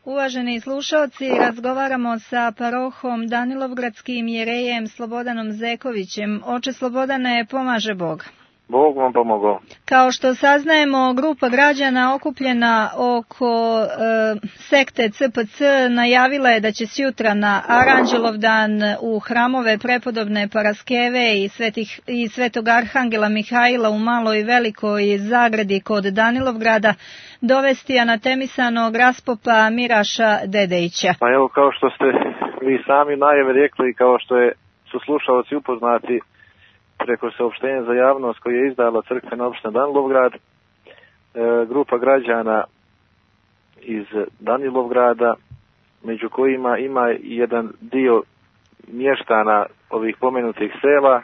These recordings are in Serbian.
Uvaženi slušalci, razgovaramo sa parohom Danilovgradskim jerejem Slobodanom Zekovićem. Oče Slobodane, pomaže Bog. Bog vam pomogao. Kao što saznajemo, grupa građana okupljena oko sekte CPC najavila je da će sjutra na Aranđelovdan u hramove prepodobne Paraskeve i Svetog Arhangela Mihajla u Maloj i Velikoj Zagradi kod Danilovgrada dovesti anatemisanog raspopa Miraša Dedejića. Pa evo, kao što ste vi sami najave rekli i kao što su slušalci upoznati preko saopštenja za javnost koje je izdala crkvena opština Danilovgrad, grupa građana iz Danilovgrada, među kojima ima jedan dio mještana ovih pomenutih sela,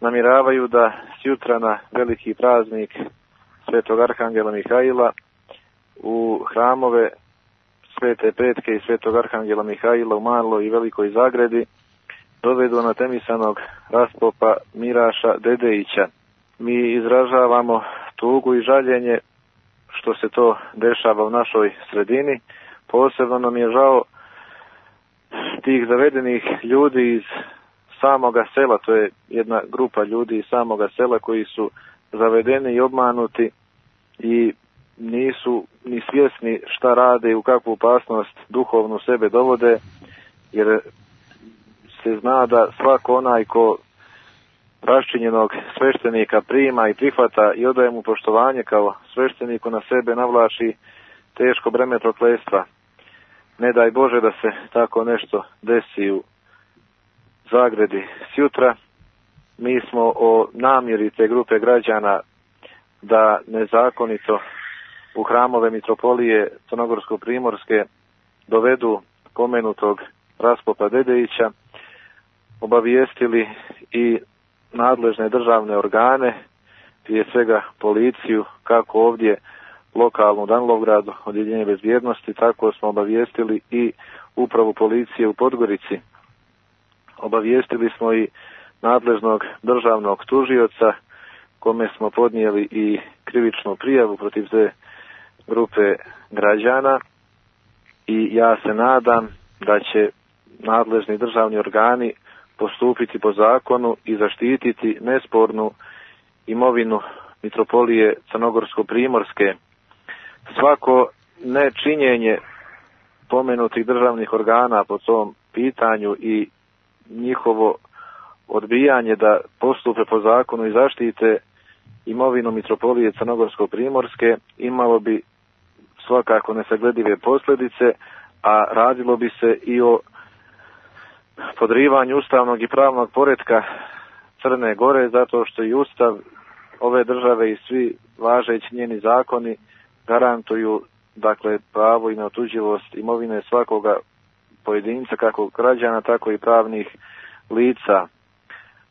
namjeravaju da sjutra na veliki praznik Svetog Arhangela Mihajla u hramove Svete Petke i Svetog Arhangela Mihajla u Maloj i Velikoj Zagradi dovedu anatemisanog raspopa Miraša Dedejića. Mi izražavamo tugu i žaljenje što se to dešava u našoj sredini. Posebno nam je žao tih zavedenih ljudi iz samoga sela, to je jedna grupa ljudi iz samoga sela koji su zavedeni i obmanuti i nisu ni svjesni šta rade i u kakvu opasnost duhovnu sebe dovode, jer se zna da svako onaj ko raščinjenog sveštenika prima i prihvata i odaje mu poštovanje kao svešteniku, na sebe navlači teško breme prokletstva. Ne daj Bože da se tako nešto desi u Zagradi sjutra. Mi smo o namjeri te grupe građana da nezakonito u hramove mitropolije Crnogorsko-Primorske dovedu pomenutog raspopa Dedejića obavijestili i nadležne državne organe, prije svega policiju, kako ovdje lokalnu Danilovgradu, odjeljenje bezbjednosti, tako smo obavijestili i upravu policije u Podgorici. Obavijestili smo i nadležnog državnog tužioca, kome smo podnijeli i krivičnu prijavu protiv te grupe građana i ja se nadam da će nadležni državni organi postupiti po zakonu i zaštititi nespornu imovinu mitropolije Crnogorsko-Primorske. Svako nečinjenje pomenutih državnih organa po tom pitanju i njihovo odbijanje da postupe po zakonu i zaštite imovinu mitropolije Crnogorsko-Primorske imalo bi svakako nesagledive posljedice, a radilo bi se i o podrivanju ustavnog i pravnog poretka Crne Gore, zato što i ustav ove države i svi važeći njeni zakoni garantuju, dakle, pravo i neotuđivost imovine svakoga pojedinca, kako građana, tako i pravnih lica,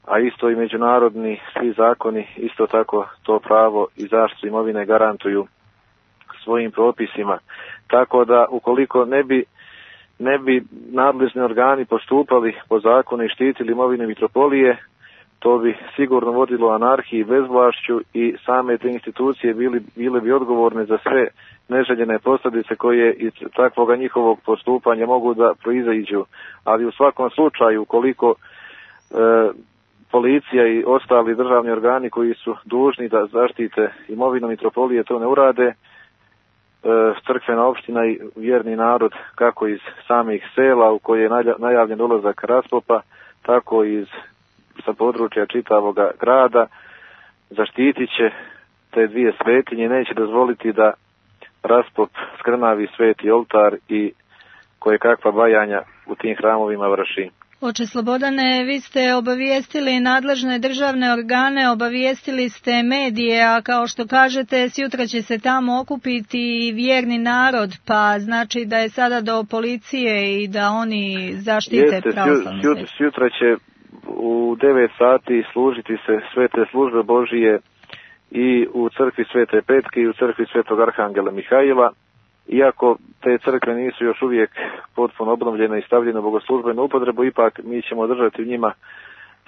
a isto i međunarodni svi zakoni isto tako to pravo i zaštitu imovine garantuju svojim propisima. Tako da ukoliko ne bi nadležni organi postupali po zakonu i štitili imovine mitropolije, to bi sigurno vodilo anarhiji i bezvlašću i same te institucije bile bi odgovorne za sve neželjene posljedice koje iz takvoga njihovog postupanja mogu da proizađu. Ali u svakom slučaju, ukoliko policija i ostali državni organi koji su dužni da zaštite imovinu mitropolije to ne urade, crkvena opština i vjerni narod, kako iz samih sela u koje je najavljen dolazak raspopa, tako i sa područja čitavoga grada, zaštitit će te dvije svetinje, neće dozvoliti da raspop skrnavi sveti oltar i koje kakva bajanja u tim hramovima vrši. Oče Slobodane, vi ste obavijestili nadležne državne organe, obavijestili ste medije, a kao što kažete, sjutra će se tamo okupiti vjerni narod, pa znači da je sada do policije i da oni zaštite pravoslavnu svetu. Sjutra će u 9 sati služiti se svete službe Božije i u crkvi Svete Petke i u crkvi Svetog Arhangela Mihajla. Iako te crkve nisu još uvijek potpuno obnovljene i stavljene u bogoslužbenu upotrebu, ipak mi ćemo držati u njima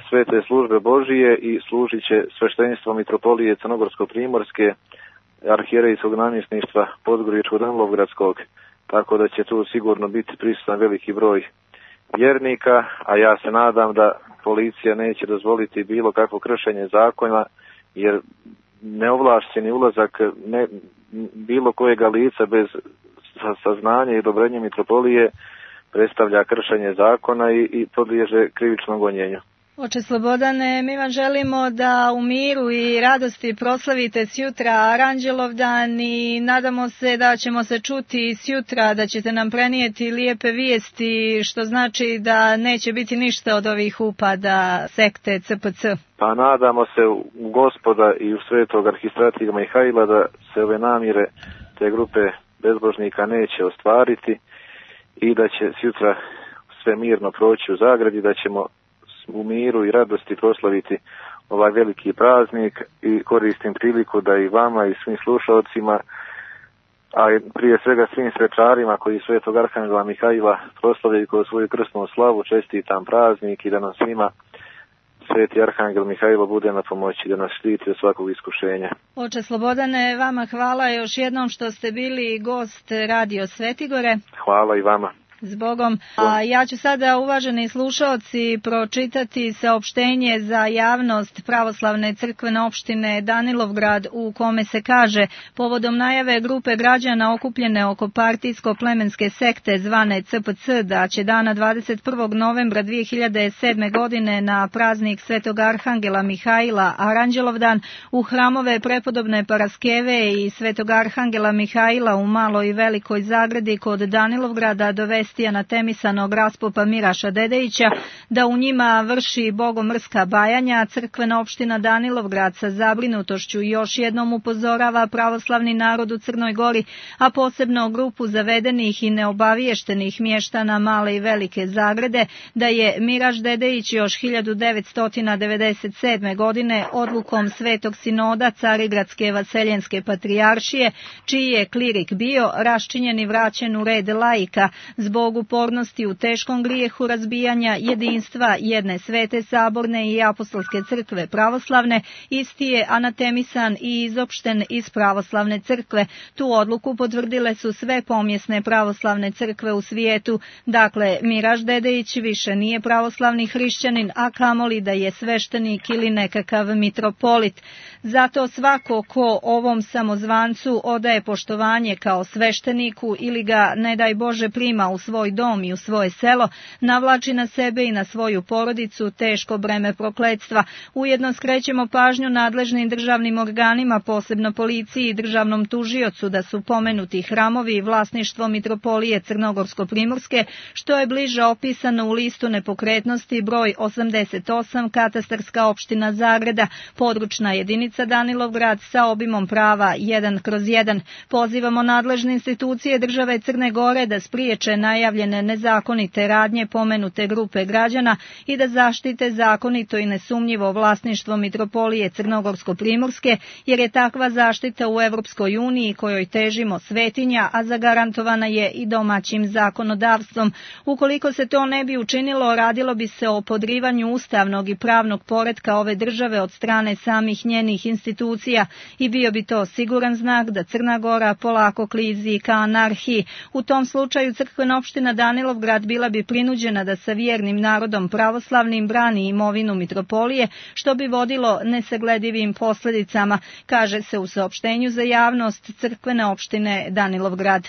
svete službe Božije i služit će sveštenstvo mitropolije Crnogorsko-Primorske, arhijerejskog namjesništva Podgoričko-Danilovgradskog. tako da će tu sigurno biti prisutan veliki broj vjernika, a ja se nadam da policija neće dozvoliti bilo kakvo kršenje zakona, jer neovlašteni ulazak bilo kojega lica bez saznanja i odobrenja mitropolije predstavlja kršenje zakona i podliježe krivičnom gonjenju. Oče Slobodane, mi vam želimo da u miru i radosti proslavite sjutra Aranđelovdan i nadamo se da ćemo se čuti sjutra, da ćete nam prenijeti lijepe vijesti, što znači da neće biti ništa od ovih upada sekte CPC. Pa nadamo se u Gospoda i u svetog arhistrata Mihajla da se ove namjere te grupe bezbožnika neće ostvariti i da će sjutra sve mirno proći u Zagradi, da ćemo u miru i radosti proslaviti ovaj veliki praznik i koristim priliku da i vama i svim slušalcima, a prije svega svim svečarima koji svetog arhangela Mihajla proslavljaju kroz svoju krsnu slavu, čestitam praznik i da nam svima sveti arhangel Mihajlo bude na pomoći, da nas štiti od svakog iskušenja. Oče Slobodane, vama hvala još jednom što ste bili gost Radio Svetigore. Hvala i vama. Zbogom. A ja ću sada, uvaženi slušaoci, pročitati saopštenje za javnost Pravoslavne crkvene opštine Danilovgrad u kome se kaže: povodom najave grupe građana okupljene oko partijsko-plemenske sekte zvane CPC da će dana 21. novembra 2007. godine na praznik Svetog Arhangela Mihajla Aranđelovdan u hramove prepodobne Paraskeve i Svetog Arhangela Mihajla u Maloj i Velikoj Zagradi kod Danilovgrada dovesti anatemisanog raspopa Miraša Dedejića, da u njima vrši bogomrska bajanja, crkvena opština Danilovgrad sa zabrinutošću još jednom upozorava pravoslavni narod u Crnoj Gori, a posebno grupu zavedenih i neobaviještenih mještana Male i Velike Zagrade, da je Miraš Dedejić još 1997. godine odlukom Svetog sinoda Carigradske vaseljenske patrijaršije, čiji je klirik bio, raščinjen i vraćen u red laika zbog upornosti u teškom grijehu razbijanja jedinstva jedne svete saborne i apostolske crkve pravoslavne, isti je anatemisan i izopšten iz pravoslavne crkve. Tu odluku potvrdile su sve pomjesne pravoslavne crkve u svijetu. Dakle, Miraš Dedejić više nije pravoslavni hrišćanin, a kamoli da je sveštenik ili nekakav mitropolit. Zato svako ko ovom samozvancu odaje poštovanje kao svešteniku ili ga, ne daj Bože, prima u svoj dom i u svoje selo, navlači na sebe i na svoju porodicu teško breme prokletstva. Ujedno skrećemo pažnju nadležnim državnim organima, posebno policiji i državnom tužiocu, da su pomenuti hramovi i vlasništvo mitropolije Crnogorsko-Primorske, što je bliže opisano u listu nepokretnosti broj 88, katastarska opština Zagrada, područna jedinica Danilovgrad sa obimom prava 1/1. Pozivamo nadležne institucije države Crne Gore da spriječe najavljene nezakonite radnje pomenute grupe građana i da zaštite zakonito i nesumnjivo vlasništvo mitropolije Crnogorsko-Primorske, jer je takva zaštita u Evropskoj uniji kojoj težimo svetinja, a zagarantovana je i domaćim zakonodavstvom. Ukoliko se to ne bi učinilo, radilo bi se o podrivanju ustavnog i pravnog poretka ove države od strane samih njenih institucija i bio bi to siguran znak da Crna Gora polako klizi ka anarhiji. U tom slučaju crkvena opština Danilovgrad bila bi prinuđena da sa vjernim narodom pravoslavnim brani imovinu mitropolije, što bi vodilo nesagledivim posljedicama, kaže se u saopštenju za javnost crkvene opštine Danilovgrad.